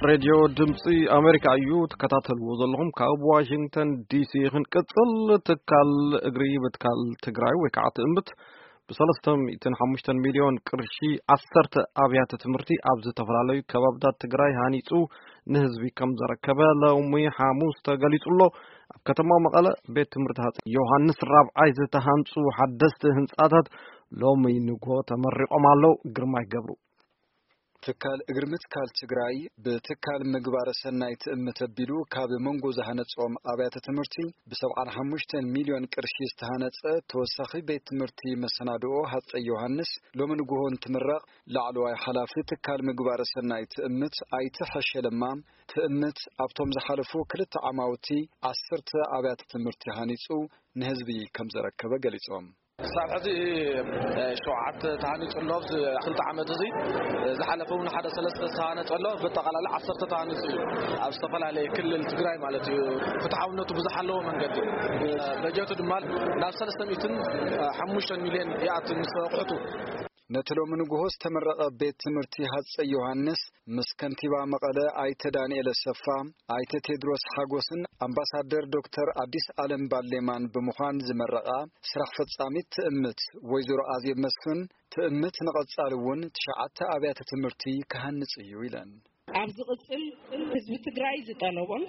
ሬድዮ ድምፂ ኣሜሪካ እዩ ትከታተልዎ ዘለኹም። ካብ ዋሽንግተን ዲሲ ክንቅፅል። ትካል እግሪ ብትካል ትግራይ ወይ ከዓ ትእምት ብሰለስተ ሚእትን ሓሙሽተን ሚልዮን ቅርሺ ዓሰርተ ኣብያተ ትምህርቲ ኣብ ዝተፈላለዩ ከባብታት ትግራይ ሃኒፁ ንህዝቢ ከም ዘረከበ ሎሚ ሓሙስ ተገሊፁ ኣሎ። ኣብ ከተማ መቐለ ቤት ትምህርቲ ሃፀይ ዮሃንስ ራብዓይ ዝተሃንፁ ሓደስቲ ህንፃታት ሎሚ ንግሆ ተመሪቖም ኣለዉ። ግርማይ ገብሩ። ትካል እግሪ ምትካል ትግራይ ብትካል ምግባረ ሰናይ ትእምት ኣቢሉ ካብ መንጎ ዝሃነጾም ኣብያተ ትምህርቲ ብ75 ሚልዮን ቅርሺ ዝተሃነጸ ተወሳኺ ቤት ትምህርቲ መሰናድኦ ሃፀይ ዮሃንስ ሎሚ ንግሆ እንትምረቕ፣ ላዕለዋይ ሓላፊ ትካል ምግባረ ሰናይ ትእምት ኣይተ ሐሸ ለማ፣ ትእምት ኣብቶም ዝሓለፉ ክልተ ዓማውቲ ዓሰርተ ኣብያተ ትምህርቲ ሃኒጹ ንህዝቢ ከም ዘረከበ ገሊጾም። ክሳብ ሕዚ፣ እ፣ ሸውዓተ ተሃኒጹ ኣሎ። ኣብዚ ክልተ ዓመት እዚ፣ እ፣ ዝሓለፈ እውን ሓደ ሰለስተ ዝተሃነጸ ኣሎ። ብኣጠቓላሊ ዓሰርተ ተሃኒጹ እዩ። ኣብ ዝተፈላለየ ክልል ትግራይ ማለት እዩ። ፍትሓውነቱ ብዝሓለዎ መንገዲ፣ እ፣ በጀቱ ድማ ናብ ሰለስተ ሚእትን ሓሙሽተን ሚልዮን ይኣቱ ምስ ኣቑሑቱ። ነቲ ሎሚ ንግሆ ዝተመረቐ ቤት ትምህርቲ ሃፀይ ዮሃንስ ምስ ከንቲባ መቐለ ኣይተ ዳንኤል ኣሰፋ፣ ኣይተ ቴድሮስ ሓጎስን ኣምባሳደር ዶክተር ኣዲስ ኣለም ባሌማን ብምዃን ዝመረቓ ስራሕ ፈጻሚት ትእምት ወይዘሮ ኣዜብ መስፍን፣ ትእምት ንቐጻሊ እውን ትሽዓተ ኣብያተ ትምህርቲ ክሃንጽ እዩ ኢለን። ኣብ ዝቕጽል ህዝቢ ትግራይ ዝጠለቦን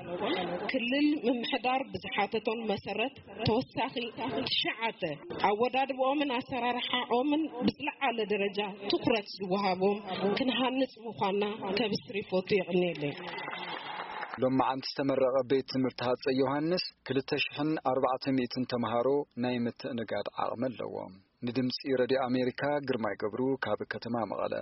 ክልል ምምሕዳር ብዝሓተቶን መሰረት ተወሳኺ ትሽዓተ ኣወዳድብኦምን ኣሰራርሓኦምን ብዝለዓለ ደረጃ ትኹረት ዝወሃቦም ክንሃንጽ ምዃንና ከብስር ይፈቱ። የቕንየለይ። ሎማዓንቲ ዝተመረቐ ቤት ትምህርቲ ሃፀይ ዮሃንስ ክልተ ሽሕን ኣርባዕተ ሚእትን ተምሃሮ ናይ ምትእንጋድ ዓቕሚ ኣለዎ። ንድምፂ ረድዮ ኣሜሪካ ግርማይ ገብሩ ካብ ከተማ መቐለ።